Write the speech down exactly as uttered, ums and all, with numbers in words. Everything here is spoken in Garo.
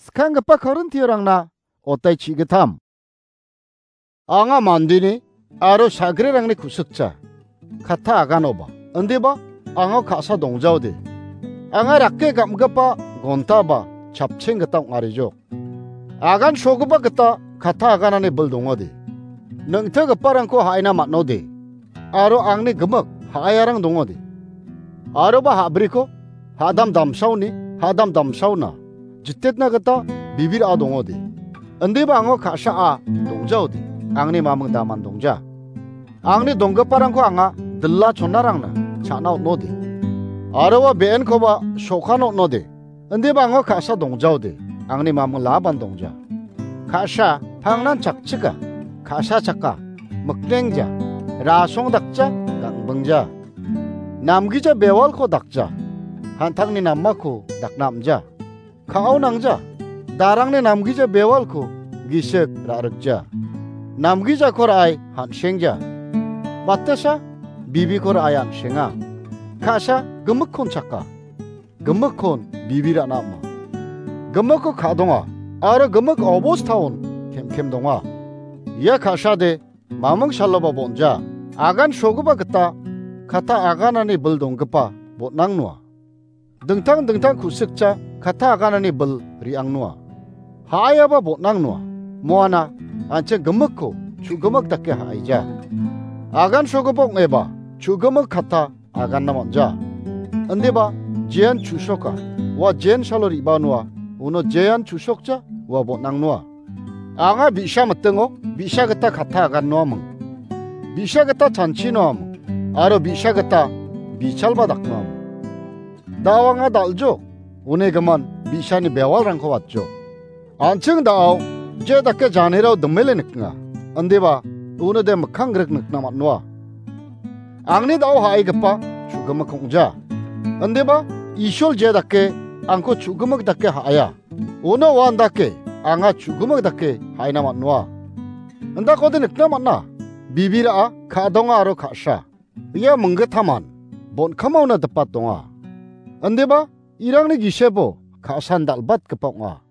Skanggipa Korintiarangna otai chigitam. Anga mandeni aro sagrerangni kusikcha, kata aganoba, indiba anga ka·sa dongjaode. Anga rake gam·gipa gontaba chapcheng gita ong·arijok. Agan sogipa gita kata aganani bil dongode. Neng·tgiparangko ha·aina man·ode. Aro angni gimik ha·aiarang dongode. Aroba ha·briko ha·dam damsaoni ha·dam damsaona jitetna gita bibira dongode. Indiba ango ka·saa dongjaode. Angni maming daman dongja. Angni donggiparangko anga dila chonarangna cha·na on·ode. Aroba be·enkoba sokana on·ode. Indiba ango ka·sa dongjaode. Angni maming laban dongja. Ka·sa pangnan chakchika, ka·sa chaka, miknengja, rasong dakja, gangbingja. Namgija bewalko dakja, hantangni namako dakna am·ja. Ka·ao nangja, darangni namgija bewalko gisik ra·rikja. Namgijako ra·ai han·sengja. Batesa bibiko ra·ai an·senga. Ka·sa gimikkon chaka, gimikkon bibi ra·na ama. Gimikko ka·donga, aro gimik obostaon kem·kem donga. Ia ka·sade maming saloba bon·ja. Agan sogipa gita kata aganani bil donggipa bon·ang noa. Dingtang dingtang ku·sikcha kata aganani bil re·ang noa. Ha·aiaba bon·ang noa. Moana an·ching gimikko chu·gimik dake ha·aija. Agan sogipa ong·eba chu·gimik kata aganna man·ja. Indiba jean chu·soka, ua jean salo re·baa noa, uno jean chu·sokja, ua bon·ang noa. Anga bi·sa mitingo bi·sa gita kata agan noaming. Bi·sa gita chanchi noaming, aro bi·sa gita bichalba dak noaming. Da·o anga dal·jo, uni gimin bi·sani bewalrangko watjo. An·ching da·o je dake janerao dimele nikna, indiba uno de mikkang grik nikna man·noa. Angni da·o ha·aigipa chu·gimik ong·ja. Indiba Isol je dake angko chu·gimik dake ha·aia. Uno uan dake anga chu·gimik dake ha·aina man·noa. Indakode nikna man·a, bibira·a ka·donga aro ka·sa. Ia minggitaman bon·kamaona dipat donga. Indiba irangni gisebo ka·san dal·batgipa ong·a.